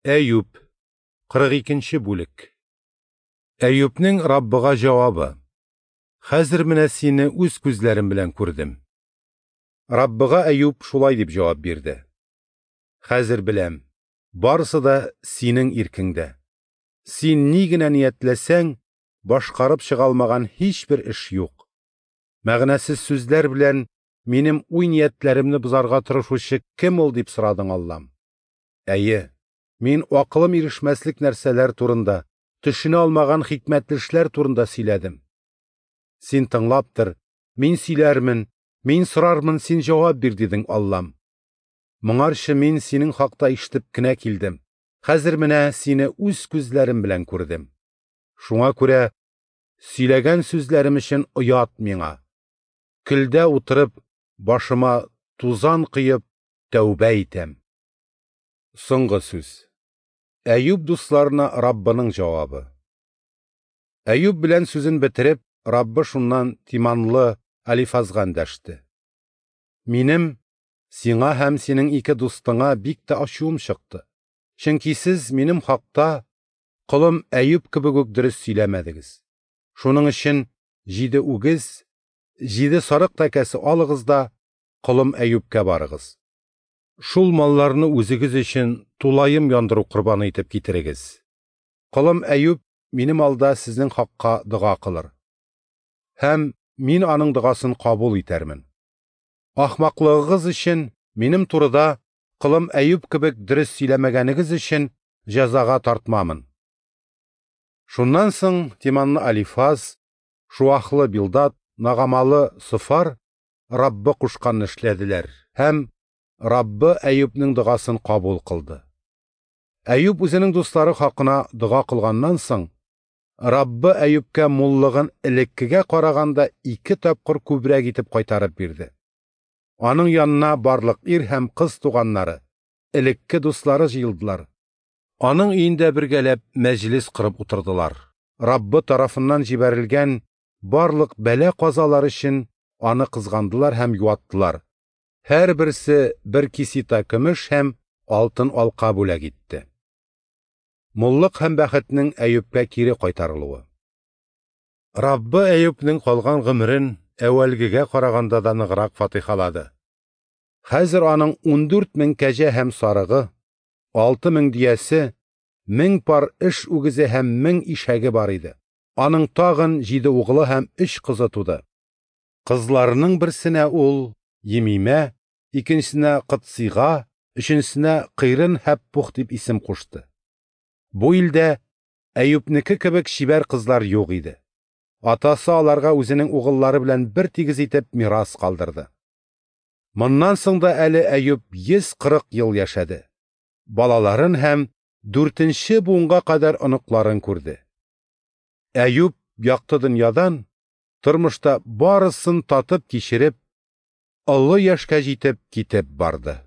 Әюп, 42 нче бүлек. Әюпнең Раббыга җавабы. Хәзер менә сине үз күзләрем белән күрдем. Раббыга Әюп шулай дип җавап бирде. Хәзер беләм, барысы да синең иркеңдә. Син ни генә ниятләсәң, башкарып чыга алмаган һичбер эш юк. Мәгънәсез сүзләр белән минем уй-ниятләремне бозарга тырышучы кем ул, дип сорадың, Аллам. Әйе, мин акылым ирешмәслек нәрсәләр турында, төшенә алмаган хикмәтле эшләр турында сөйләдем. Син тыңлап тор, мин сөйләрмен, мин сорармын, син җавап бир, дидең, Аллам. Моңарчы мин синең хакта ишетеп кенә килдем. Хәзер менә сине үз күзләрем белән күрдем. Шуңа күрә сөйләгән сүзләрем өчен оят миңа. Көлдә утырып, башыма тузан коеп, тәүбә итәм. Соңгы сүз. Әюп дусларына Раббының җавабы. Әюп белән сүзен бетереп, Раббы шуннан Тиманлы Алифазга эндәште. Минем сиңа һәм синең ике дустыңа бик тә ачуым чыкты. Чөнки сез минем хакта колым Әюп кебек үк дөрес сөйләмәдегез. Шуның өчен 7 үгез, 7 сарык тәкәсе алыгыз да колым Әюпкә барыгыз. Шул малларны үзегез өчен тулаем яндыру корбаны итеп китерегез. Колым Әюп минем алда сезнең хакка дога кылыр. Һәм мин аның догасын кабул итәрмен. Ахмаклыгыгыз өчен минем турыда колым Әюп кебек дөрес сөйләмәгәнегез өчен җәзага тартмамын. Шуннан соң Тиманлы Алифаз, Шуахлы Билдад, Нагамалы Софар Раббы кушканны эшләделәр һәм Раббы Әюпнең догасын кабул кылды. Әюп үзенең дуслары хакына дога кылганнан соң, Раббы Әюпкә муллыгын элеккегә караганда 2 тапкыр күбрәк итеп кайтарып бирде. Аның янына барлык ир һәм кыз туганнары, элекке дуслары җыелдылар. Аның өендә бергәләп мәҗлес корып утырдылар. Раббы тарафыннан җибәрелгән барлык бәла-казалар өчен аны кызгандылар һәм юаттылар. Һәрберсе бер кисита көмеш һәм алтын алка бүләк итте. Муллык һәм бәхетнең Әюпкә кире кайтарылуы. Раббы Әюпнең калган гомерен әүвәлгегә караганда да ныграк фатихалады. Хәзер аның 14 мең кәҗә һәм сарыгы, 6 мең дөясе, 1000 пар эш үгезе һәм 1000 ишәге бар иде. Аның тагын 7 углы һәм 3 кызы туды. Кызларының берсенә ул Емимә, икенчесенә Кытсыйга, өченчесенә Кыйрын Һәппух дип исем кушты. Бу илдә Әюпнеке кебек чибәр кызлар юк иде. Атасы аларга үзенең угыллары белән бер тигез итеп мирас калдырды. Моннан соң да әле Әюп 140 ел яшәде. Балаларын һәм 4-нче буынга кадәр оныкларын күрде. Әюп якты дөньядан тормышта барысын татып кичереп, олы яшькә җитеп китеп барды.